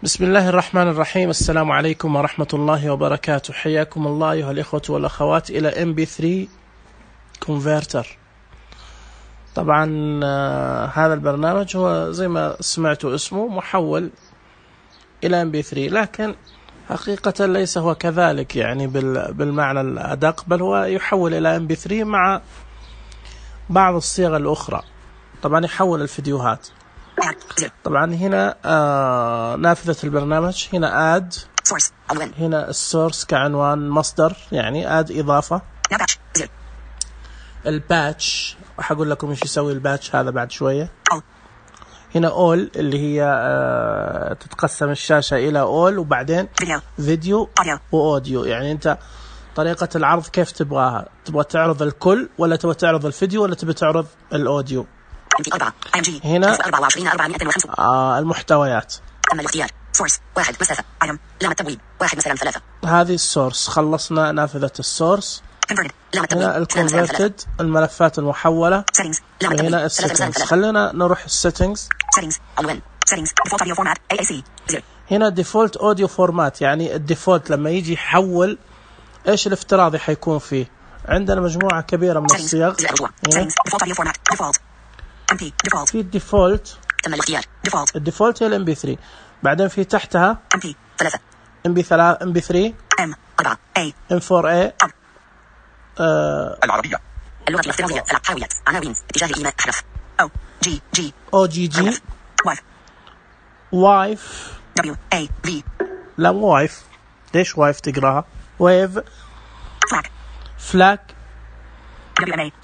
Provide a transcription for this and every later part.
بسم الله الرحمن الرحيم. السلام عليكم ورحمة الله وبركاته. حياكم الله أيها الإخوة والأخوات إلى MP3 Converter. طبعا هذا البرنامج هو زي ما سمعتوا اسمه محول إلى MP3، لكن حقيقة ليس هو كذلك يعني بالمعنى الأدق، بل هو يحول إلى MP3 مع بعض الصيغ الأخرى. طبعا يحول الفيديوهات. طبعا هنا نافذة البرنامج، هنا add، هنا السورس كعنوان مصدر يعني add إضافة، الباتش وحقول لكم ايش يسوي الباتش هذا بعد شوية. هنا all اللي هي تتقسم الشاشة إلى all وبعدين فيديو وأوديو، يعني أنت طريقة العرض كيف تبغاها، تبغى تعرض الكل ولا تبغى تعرض الفيديو ولا تبغى تعرض الأوديو. هنا المحتويات. تم الاختيار. سورس 1 مسافة ايتم لام التبويب 1 مثلا 3. هذه السورس، خلصنا نافذة السورس. هنا الكونفرتد الملفات المحولة. هنا السيتنجز. خلينا نروح السيتنجز. هنا ديفولت اوديو فورمات، يعني الديفولت لما يجي يحول ايش الافتراضي حيكون فيه. عندنا مجموعة كبيرة من الصيغ. في الديفولت، تم الاختيار. الديفولت هي MP3، بعدين في تحتها MP3 MP3 M4A M4A العربية اللغة الافتراضية حاوية عناوين اتجاه الإيماء أحرف OGG وايف WAV لا وايف، ليش وايف تقراها؟ ويف فلاك.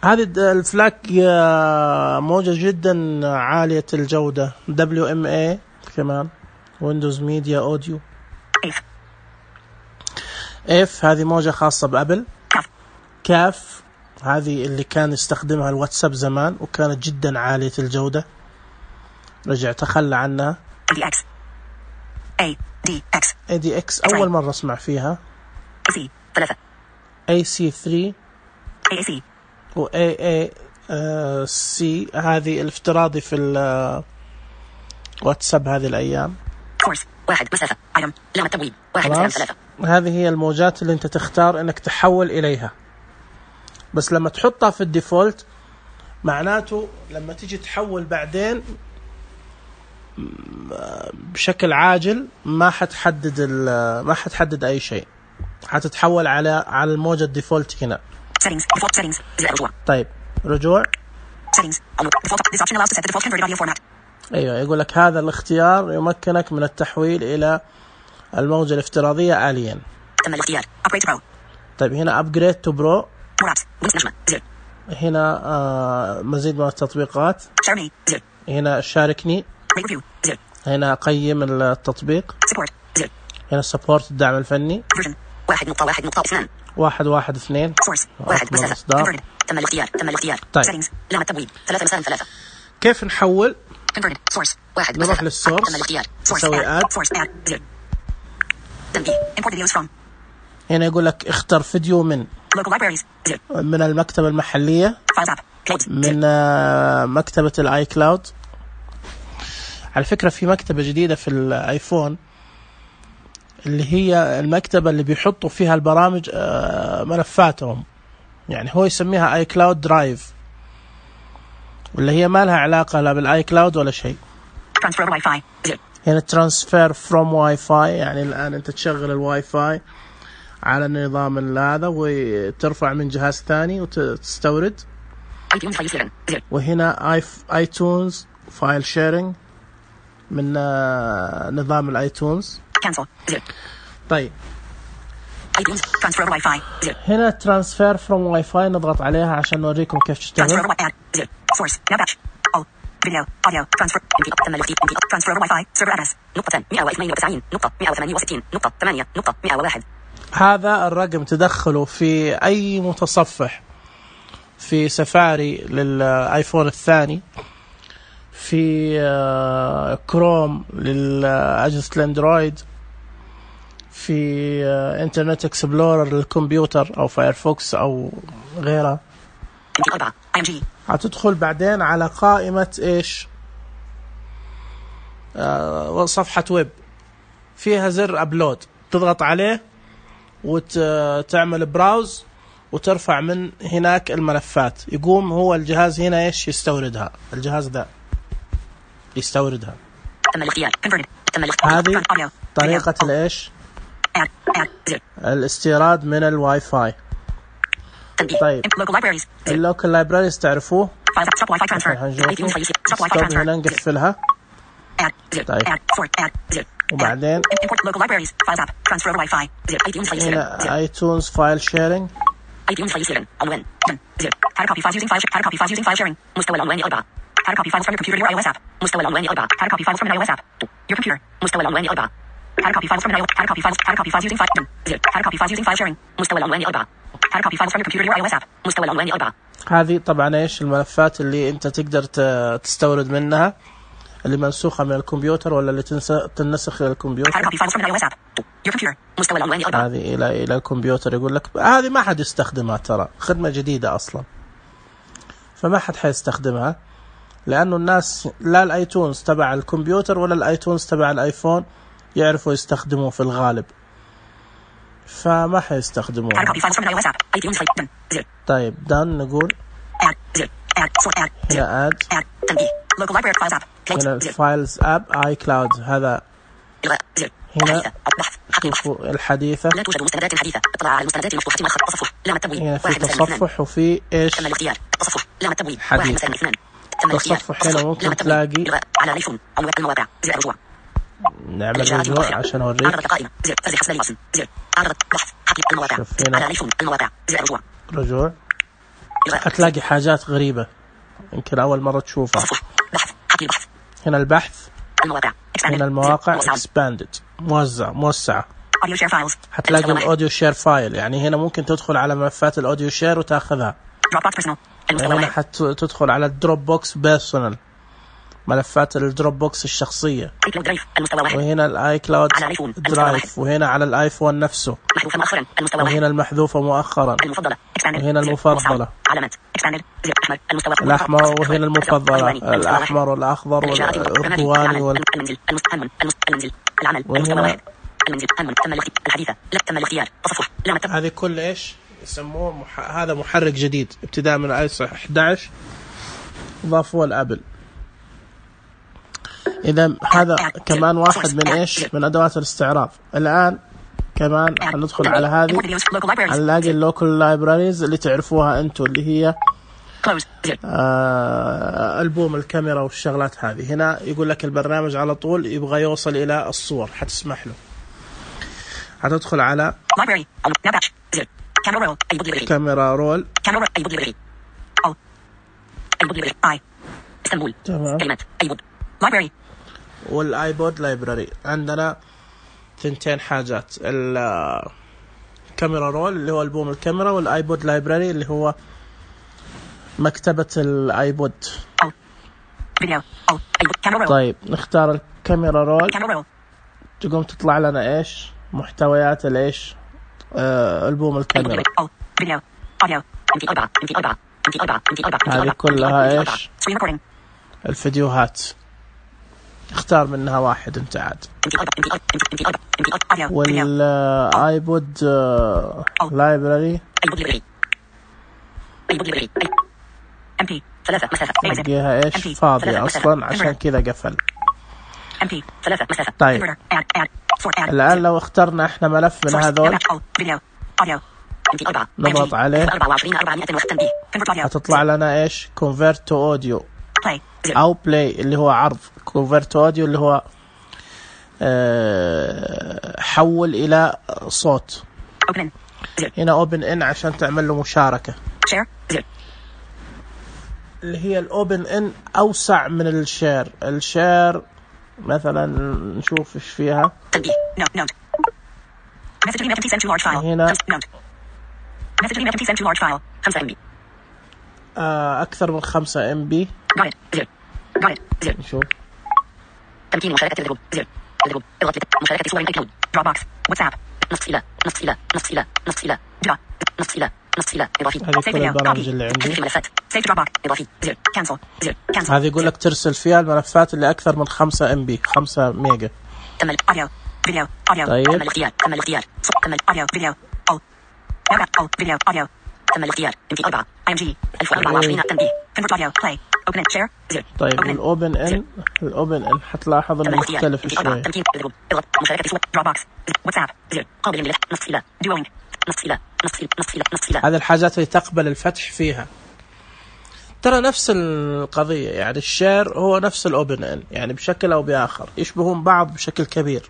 هذه الفلاك موجة جدا عالية الجودة. WMA كمان ويندوز ميديا أوديو. F هذه موجة خاصة بأبل. كاف هذه اللي كان يستخدمها الواتساب زمان وكانت جدا عالية الجودة، رجع تخلى عنها. ADX أول مرة أسمع فيها. AC3 و AAC هذه الافتراضي في الواتساب هذه الأيام. واحد مسافة ايتم لام التبويب 1 مثلا 3. هذه هي الموجات اللي أنت تختار إنك تحول إليها، بس لما تحطها في الديفولت معناته لما تيجي تحول بعدين بشكل عاجل ما حتحدد أي شيء، حتتحول على الموجة الديفولت هنا. طيب رجوع. ايوه يقول لك هذا الاختيار يمكنك من التحويل الى الموجة الافتراضية آليا. تم الاختيار. طيب هنا upgrade to pro. هنا مزيد من التطبيقات. هنا شاركني. هنا قيم التطبيق. هنا support الدعم الفني. 1.1.2 1.1.2. تم الاختيار. طيب لام التبويب 3 مثلا 3. كيف نحول؟ نروح للسورس، نسوي add. هنا يقول لك اختر فيديو من المكتبة المحلية، من مكتبة الاي كلاود. على فكرة في مكتبة جديدة في الايفون اللي هي المكتبة اللي بيحطوا فيها البرامج ملفاتهم، يعني هو يسميها اي كلاود درايف، واللي هي ما لها علاقة لا بالاي كلاود ولا شيء. هنا ترانسفير فروم واي فاي، يعني الآن أنت تشغل الواي فاي على النظام هذا وترفع من جهاز ثاني وتستورد. وهنا ايتونز فايل شيرنج من نظام الايتونز. طيب هنا ترانسفير فروم واي فاي، نضغط عليها عشان نوريكم كيف تشتغل. فيديو أوديو ترانسفير ترانسفير واي فاي سيرفر أدرس نقطة 192.168.8.101. هذا الرقم تدخله في أي متصفح، في سفاري للآيفون الثاني، في كروم للأجهزة الأندرويد، في إنترنت إكسبلورر للكمبيوتر أو فايرفوكس أو غيرها. هتدخل بعدين على قائمة إيش؟ صفحة ويب. فيها زر أبلود، تضغط عليه وتعمل براوز وترفع من هناك الملفات. يقوم هو الجهاز هنا إيش يستوردها، الجهاز ذا يستوردها. هذه طريقة الإيش الاستيراد من الواي فاي. طيب اللوكال لايبراريز تعرفوه؟ هنا نقفلها. طيب وبعدين هنا ايتونز فايل شيرينج. مستوى العنوان 4. How to copy files from your computer to your iOS app. مستوى العنوان 4. How to copy files from an iOS app. Your computer. مستوى العنوان 4. How to copy files from an iOS. How to copy files using file. How to copy files using file sharing. مستوى العنوان 4. How to copy files from your computer to your iOS app. مستوى العنوان 4. هذه طبعا ايش الملفات اللي انت تقدر تستورد منها، اللي منسوخة من الكمبيوتر ولا اللي تنسخ إلى الكمبيوتر. هذه إلى الكمبيوتر. يقول لك هذه ما حد يستخدمها، ترى خدمة جديدة أصلا، فما حد حيستخدمها، لأنه الناس لا الآيتونز تبع الكمبيوتر ولا الآيتونز تبع الآيفون يعرفوا يستخدموا في الغالب، فما حيستخدموها. طيب دان نقول هنا add هنا الفايلز اب اي كلاود. هذا هنا شوفوا الحديثة، لا توجد مستندات حديثة. اطلع على المستندات المفتوحة مع خط تصفح. لا التبويب. هنا في تصفح وفي ايش تصفح. لا التبويب. حديث. تصفح هنا ممكن تلاقي على الايفون المواقع. زر رجوع. نعمل رجوع عشان اوريك. شوف هنا على الايفون المواقع. زر رجوع. رجوع. هتلاقي حاجات غريبة يمكن أول مرة تشوفها. هنا البحث، هنا المواقع expanded موسعة. هتلاقي الأوديو شير فايل، يعني هنا ممكن تدخل على ملفات الأوديو شير وتأخذها. هنا تدخل على الدروب بوكس بيرسونال، ملفات الدروب بوكس الشخصية. وهنا الآي كلاود درايف، وهنا على الآيفون نفسه، وهنا المحذوفة مؤخرا، وهنا المفضلة الأحمر، وهنا المفضلة الأحمر والأخضر والأردواني وهنا هذه كل إيش يسموه هذا محرك جديد ابتداء من iOS 11 ضافوه الأبل. إذا هذا كمان واحد من إيش من أدوات الاستعراض. الآن كمان هندخل على هذه، هنلاقي اللوكال لايبراريز اللي تعرفوها أنتوا، اللي هي ألبوم الكاميرا والشغلات هذه. هنا يقول لك البرنامج على طول يبغى يوصل إلى الصور، حتسمح له. هتدخل على كاميرا رول. تمام. والايبود لايبراري. عندنا ثنتين حاجات، الكاميرا رول اللي هو ألبوم الكاميرا، والايبود لايبراري اللي هو مكتبة الايبود. طيب نختار الكاميرا رول، تقوم تطلع لنا ايش محتويات الايش ألبوم الكاميرا. هذه كلها ايش الفيديوهات، اختار منها واحد انت عاد. والايبود لايبراري نلقيها ايش فاضية اصلا، عشان كذا قفل. طيب الان لو اخترنا احنا ملف من هذول، نضغط عليه هتطلع لنا ايش convert to audio او play اللي هو عرض. convert to audio اللي هو حول الى صوت. هنا open in عشان تعمل له مشاركة، اللي هي الاوبن ان اوسع من الشير. الشير مثلا نشوف ايش فيها هنا. أكثر من 5 MB. نشوف تمكين مشاركة الجروب. الجروب اضغط مشاركة صور ايكلود. دروبوكس. واتساب. نص إلى إضافي. هذه كل البرامج اللي عندي. هذه يقول لك ترسل فيها الملفات اللي أكثر من 5 MB 5 ميجا. Video. Audio. طيب. كمل اختيار. كمل اختيار. كمل audio. Video. All. All. Video. Audio. كمل اختيار. MP 4. IMG 1024 تنبيه. Convert audio. Play. Open it. Share. 0. طيب الأوبن إن حتلاحظ إنه مختلف شوي. تمكين. اضغط. مشاركة صوت. Dropbox. واتساب. 0. قابل للفتح. نص إلى. Duoing. نص إلى. هذه الحاجات اللي تقبل الفتح فيها. ترى نفس القضية، يعني الشير هو نفس الأوبن إن، يعني بشكل أو بآخر يشبهون بعض بشكل كبير.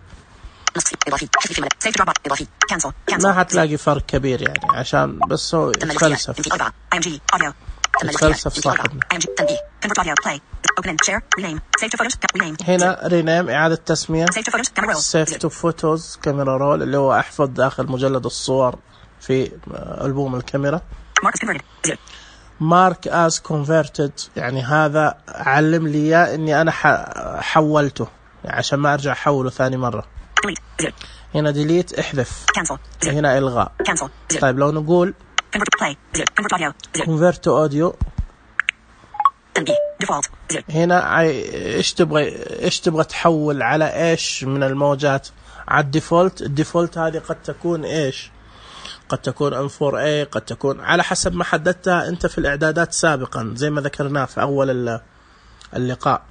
ما هتلاقي فرق كبير يعني، عشان بس هو يتفلسف صاحبنا. هنا رينيم إعادة تسمية. سيف تو فوتوز كاميرا رول، اللي هو أحفظ داخل مجلد الصور في ألبوم الكاميرا. مارك as converted، يعني هذا علم لي إياه إني أنا حولته، يعني عشان ما أرجع أحوله ثاني مرة. هنا delete احذف. هنا إلغاء. طيب لو نقول convert to audio، هنا ايش تبغى تحول على ايش من الموجات؟ على الديفولت هذه قد تكون ايش؟ قد تكون M4A، قد تكون على حسب ما حددتها انت في الاعدادات سابقا زي ما ذكرناه في اول اللقاء.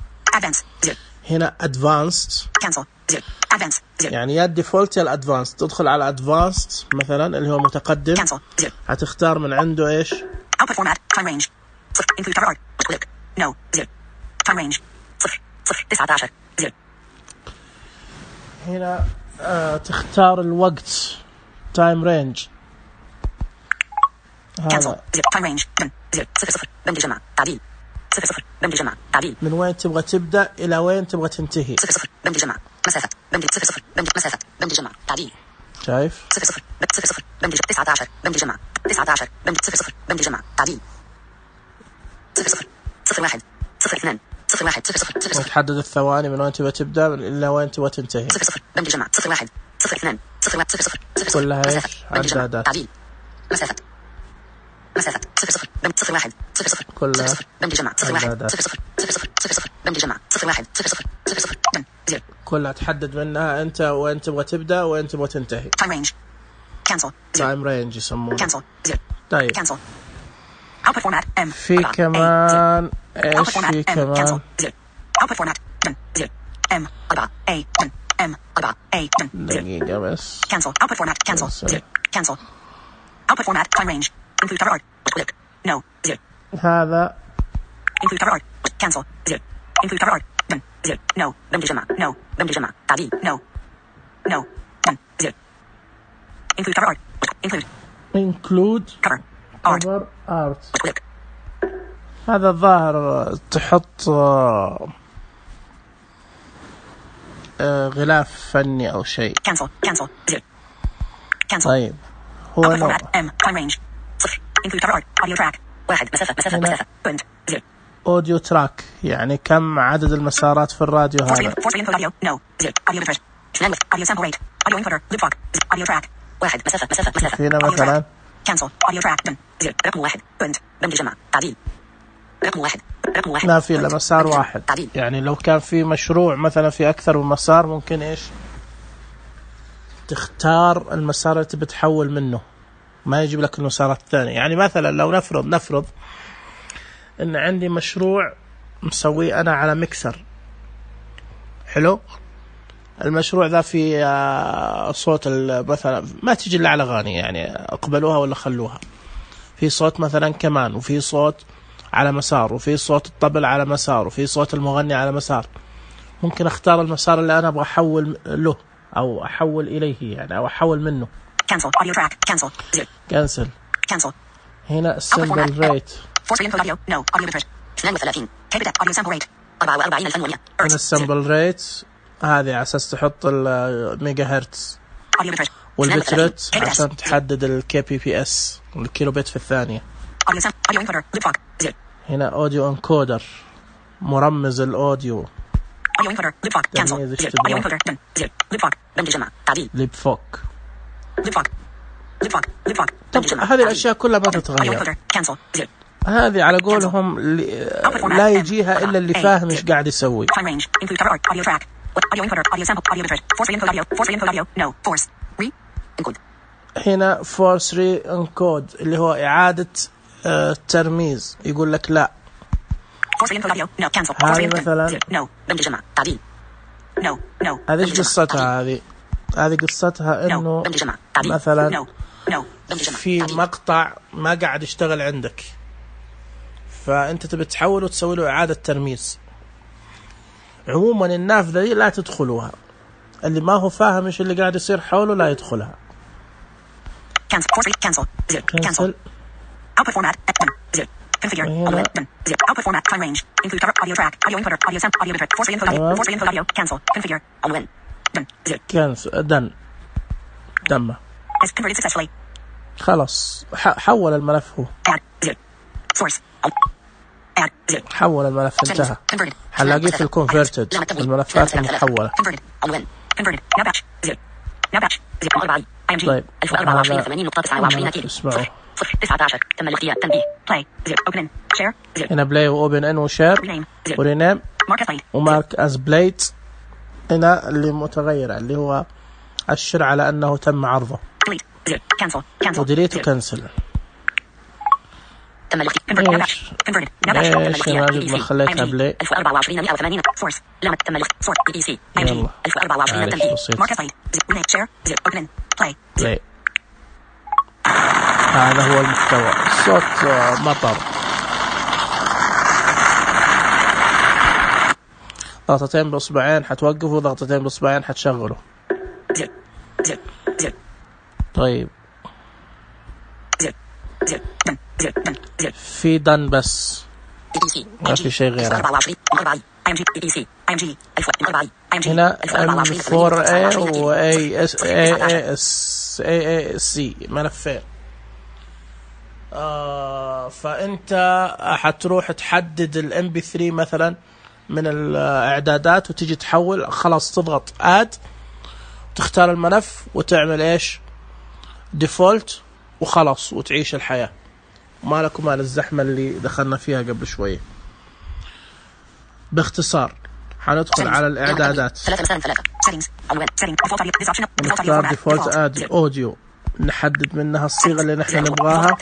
هنا advanced، يعني يا الديفولت يا الادفانسد. تدخل على advanced مثلا اللي هو متقدم، هتختار من عنده ايش؟ output format time range include cover art click no 0 time range 0 0 هنا تختار الوقت time range. هذا time range 0 بند جمع تعديل 0 بند جمع تعديل. من وين تبغى تبدأ إلى وين تبغى تنتهي؟ 0 بند جمع مسافة بند 0 بند مسافة بند جمع تعديل. شايف؟ 0 بند 19 بند جمع 19 بند 0 بند جمع تعديل 0 1 0 2 0 1 0 0. تحدد الثواني من وين تبغى تبدأ إلى وين تبغى تنتهي. 0 بند جمع 0 1 0 2 0 1 0 0. كلها ايش؟ عدادات. تعديل مسافة 0 بند 0 1 0 كلها بند جمع 0 1 0 0 بند جمع 0 1 0 0. كلها تحدد منها انت وين تبغى تبدأ وين تبغى تنتهي. time range cancel time range يسمونه. cancel 0. طيب cancel output format M. في كمان ايش في كمان؟ output format 0 M 4 A M 4 A دقيقة بس. cancel output format cancel 0 cancel output format time range include cover art click no 0. هذا include cover art cancel 0 include cover art 0 no بند جمع no بند جمع تعديل no 0 include cover art include cover art click. هذا الظاهر تحط غلاف فني أو شيء. cancel 0 cancel. طيب هو نوع M time range 0 include cover art audio track 1 مسافة بند 0 audio track، يعني كم عدد المسارات في الراديو هذا. force input audio no 0 audio bitrate audio sample rate audio encoder loop fog audio track 1 مسافة هنا مثلا cancel audio track 0 رقم 1 بند جمع تعديل رقم 1 ما في إلا مسار واحد. يعني لو كان في مشروع مثلا في أكثر من مسار ممكن إيش تختار المسار اللي تبي تحول منه، ما يجيب لك المسارات الثانية. يعني مثلا لو نفرض إن عندي مشروع مسويه أنا على ميكسر حلو. المشروع ذا في صوت مثلا ما تيجي إلا على أغاني، يعني اقبلوها ولا خلوها. في صوت مثلا كمان، وفي صوت على مسار، وفي صوت الطبل على مسار، وفي صوت المغني على مسار. ممكن اختار المسار اللي انا ابغى احول له او احول اليه، يعني او احول منه. cancel audio track cancel 0 cancel. هنا السامبل ريت force input audio no audio bitrate 32 كبدة audio sample rate 44100. هنا السامبل ريت هذه على اساس تحط الميجا هرتز، audio bitrate والبتريت عشان تحدد الكي بي بي اس الكيلو بيت في الثانية. audio encoder loop fog 0. هنا اوديو انكودر مرمز الاوديو audio encoder loop fog cancel 0 audio encoder 0 loop fog بند جمع تعديل ليب فوك loop fog طب هذه الاشياء كلها ما تتغير. cancel 0 هذه على قولهم لا يجيها الا اللي فاهم ايش قاعد يسوي. time range include cover art audio track Audio encoder. Audio sample. Audio bitrate. Force re-encode audio. Force re-encode audio. No. Force re-encode. هنا force re-encode اللي هو إعادة ترميز. يقول لك لا. Force re-encode audio. No. Cancel. هذه مثلا. No. دمج جمع. تعديل. No. هذه قصتها هذه قصتها إنه مثلا في مقطع ما قاعد يشتغل عندك، فأنت تبي تحوله وتسوي له إعادة ترميز. عموما النافذة دي لا تدخلوها، اللي ما هو فاهم إيش اللي قاعد يصير حوله لا يدخلها. cancel. Output format. Zero. Configure. Output format. Time range. Include cover. Audio track. Audio encoder. Audio sample. Audio bitrate. Force re-encode audio. Force re-encode audio. Cancel. Configure. On when. Done. Zero. cancel. done. دمه. Has converted successfully. خلاص حول الملف هو. Add. Zero. Source. Add. Zero. حول الملف انتهى. حلاقيه في الكونفرتد الملفات المحولة. Converted. On when. Converted. Now batch. Zero. Now batch. Zero. IMG. طيب 1024 اسمعوا. 19 تم الاختيار. تنبيه. Play. Zero. Open in. Share. Zero. هنا بلاي وأوبن إن وشير ورينيم ومارك أز بلايت. هنا اللي متغير اللي هو أشر على أنه تم عرضه. وديليت وكنسل. تم الاختيار. ليش ماجد ما خليتها بلاي؟ 1024 180 سورس لمت تم الاختيار. سورس بي سي ام جي 1024 تنبيه. مارك بلاي. شير. Open in. Play. هذا هو المحتوى. صوت مطر. ضغطتين بإصبعين حتوقفوا، ضغطتين بإصبعين حتشغلوا. طيب في دن بس ما في شيء غيره. هنا M4A و AAC ملفين. فأنت حتروح تحدد ال MP3 مثلا من الإعدادات وتيجي تحول. خلاص تضغط add وتختار الملف وتعمل إيش default وخلاص وتعيش الحياة. ما لك وما للزحمة اللي دخلنا فيها قبل شوية. باختصار حندخل على الإعدادات نختار default audio نحدد منها الصيغة اللي نحن نبغاها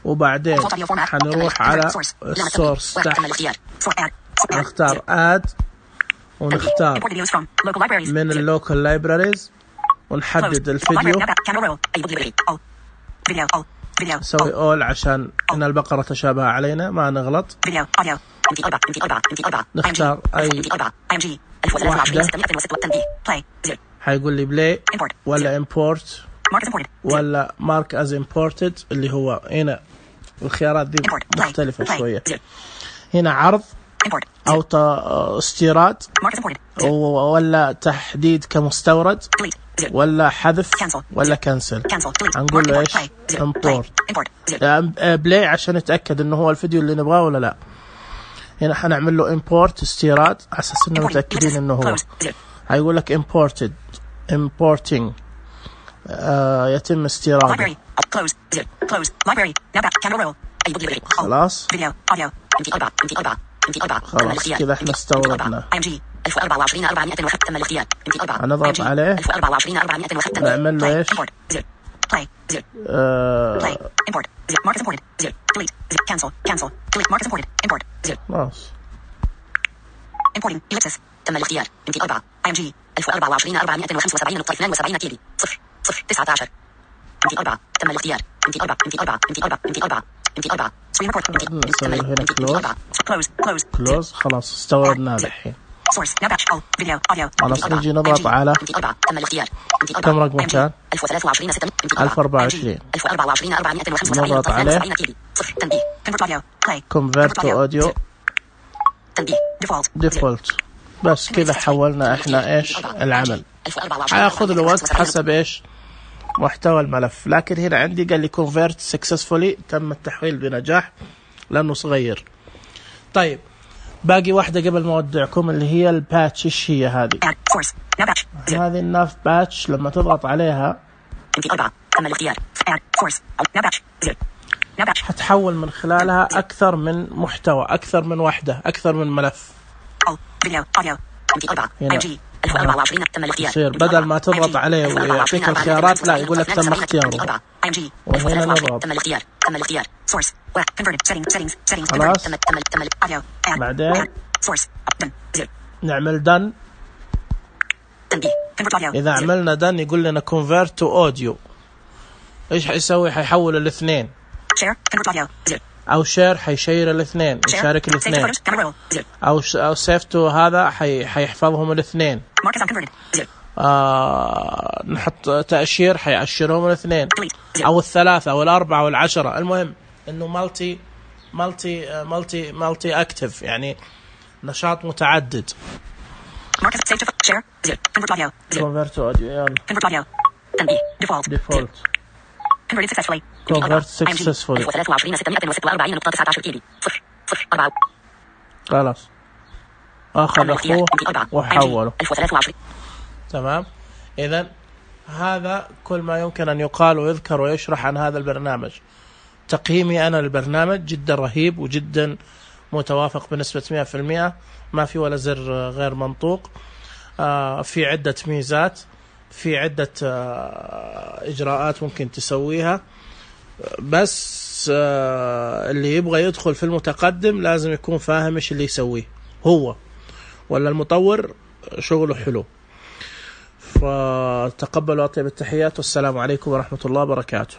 وبعدين حنروح على السورس تحت نختار add ونختار من اللوكال لايبراريز ونحدد الفيديو نسوي all عشان إن البقرة تشابه علينا ما نغلط. نختار أي واحدة حيقول لي بلاي ولا import ولا mark as imported اللي هو هنا الخيارات دي مختلفة شوية. هنا عرض أو استيراد ولا تحديد كمستورد ولا حذف ولا كنسل. هنقول له إيش import بلاي عشان نتأكد إنه هو الفيديو اللي نبغاه ولا لا. هنا حنعمل له import استيراد على أساس إنه متأكدين إنه هو. هيقول لك importing يتم استيراده. خلاص خلاص كذا احنا استوردنا. هنضغط عليه نعمل له ايش خلاص importing ellipsis تم الاختيار MT4 IMG 1024 كيبي 0 19 MT4 تم الاختيار MT4 screen record نسوي هنا close خلاص استوردنا الحين. خلاص نجي نضغط على كم رقم كان 1024 نضغط عليه convert to audio default. بس كذا حولنا احنا ايش العمل. هياخذ له وقت حسب ايش محتوى الملف، لكن هنا عندي قال لي convert successfully تم التحويل بنجاح لانه صغير. طيب باقي واحدة قبل ما اودعكم اللي هي الباتش. ايش هي هذه؟ هذه الناف باتش لما تضغط عليها حتحول من خلالها اكثر من محتوى، اكثر من وحدة، اكثر من ملف. فيديو أوديو MT 4 MG 1024 تم الاختيار. يصير بدل ما تضغط عليه ويعطيك الخيارات لا يقول لك تم اختياره. وهنا نضغط تم الاختيار. تم الاختيار. Source converted settings خلاص. تم audio بعدين source نعمل done. إذا عملنا done يقول لنا convert to audio. إيش حيسوي؟ حيحول الاثنين. share convert audio أو share حيشير الاثنين، يشارك الاثنين. أو save to هذا حيحفظهم الاثنين. نحط تأشير حيأشرهم الاثنين أو الثلاثة أو الأربعة أو العشرة. المهم إنه multi active، يعني نشاط متعدد. convert to audio يلا. default converted successfully. خلاص أخذ أخوه وحوله. تمام. إذن هذا كل ما يمكن أن يقال ويذكر ويشرح عن هذا البرنامج. تقييمي أنا للبرنامج جدا رهيب وجدا متوافق بنسبة 100%. ما في ولا زر غير منطوق. في عدة ميزات، في عدة إجراءات ممكن تسويها، بس اللي يبغى يدخل في المتقدم لازم يكون فاهم إيش اللي يسويه هو ولا المطور شغله حلو. فتقبلوا أطيب التحيات والسلام عليكم ورحمة الله وبركاته.